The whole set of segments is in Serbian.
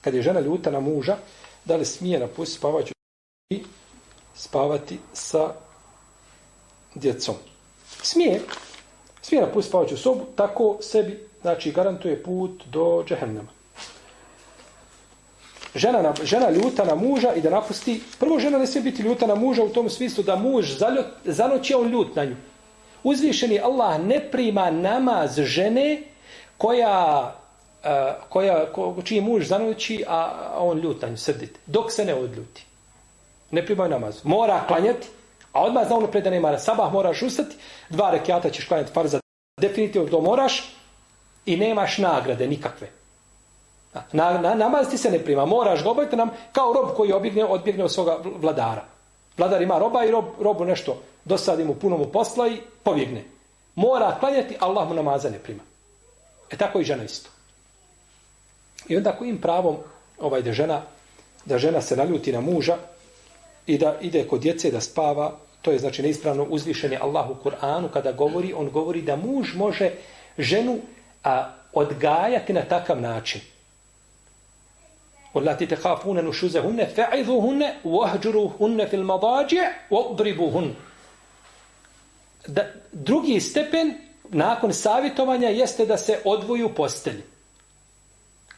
kad je žena ljuta na muža, da li smije napustiti spavaću i spavati sa djecom? Smije napustiti spavaću sobu, tako sebi, znači, garantuje put do džehennema. Žena ljuta na muža i da napusti, prvo žena ne smije biti ljuta na muža u tom smislu da muž zanoći on ljut na nju. Uzvišeni Allah ne prima namaz žene čiji muž zanoći, a on ljut na nju, srdit, dok se ne odljuti. Ne prima namaz. Mora klanjati, a odmah zna ono pred da nema na sabah, moraš ustati, 2 rekjata ćeš klanjati farza, definitivno to moraš i nemaš nagrade nikakve. Namaz ti se ne prima, moraš ga obaviti nam kao rob koji odbjegne od svoga vladara. Vladar ima roba i robu nešto dosadi mu, puno mu posla i pobjegne. Mora klanjati, Allah mu namaza ne prima. Tako i žena isto. I onda kojim pravom da žena se naljuti na muža i da ide kod djece da spava, to je znači neispravno. Uzvišen je Allah u Kur'anu kada govori, on govori da muž može ženu odgajati na takav način. وَلَّاتِ تَخَافُونَ نُشُوزَهُنَّ فَعِذُوهُنَّ وَهْجُرُوهُنَّ فِي الْمَضَاجِعِ وَاضْرِبُوهُنَّ. Drugi stepen nakon savjetovanja jeste da se odvoji u postelji.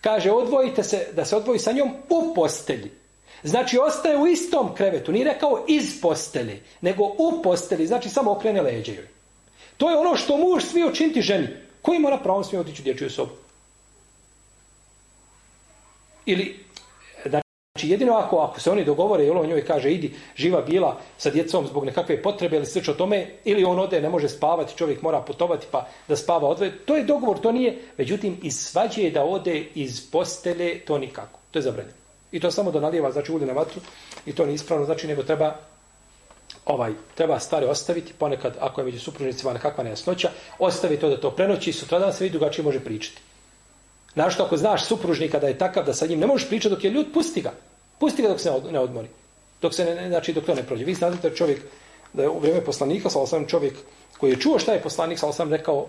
Kaže, odvojite se, da se odvoji sa njom u postelji. Znači, ostaje u istom krevetu. Nije rekao iz postelje, nego u postelji. Znači, samo okrene leđe joj. To je ono što muž smije učiniti ženi. Koji mora pravom smije otići u dječju sobu? Ili, znači, jedino ako se oni dogovore i on njoj kaže, idi, živa bila sa djecom zbog nekakve potrebe ili slično tome, ili on ode, ne može spavati, čovjek mora putovati pa da spava odvoje. To je dogovor, to nije. Međutim, iz svađe da ode iz postelje, to nikako. To je zabranjeno. I to samo da nalijeva, znači, ulje na vatru i to nije ispravno, znači, nego treba stvari ostaviti, ponekad, ako je među supružnicima nekakva nejasnoća, ostavi to da to prenoći i sutradan se vidi drugačije može pričati. Našto ako znaš supružnika da je takav da sa njim ne možeš pričati dok je ljut, pusti ga. Pusti ga dok se ne odmori. Dok to ne prođe. Vi znate da čovjek, da je u vrijeme poslanika, sallallahu čovjek koji je čuo šta je poslanik, sallallahu rekao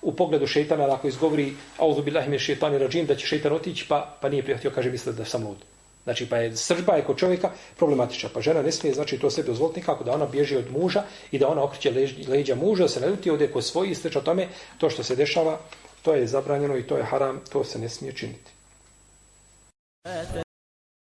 u pogledu šejtana, ako izgovori auzu billahi minaš šejtanir radžim, da će šejtan otići, pa nije prihvatio, kaže, misle da sam lud. Znači, pa je sržba kod čovjeka problematična. Pa žena ne smije, znači, to sebi dozvoliti nikako, da ona bježi od muža i da ona okreće leđa muža, da se ne ljuti, ode kod svoji i slično tome. To što se dešava, to je zabranjeno i to je haram, to se ne smije činiti.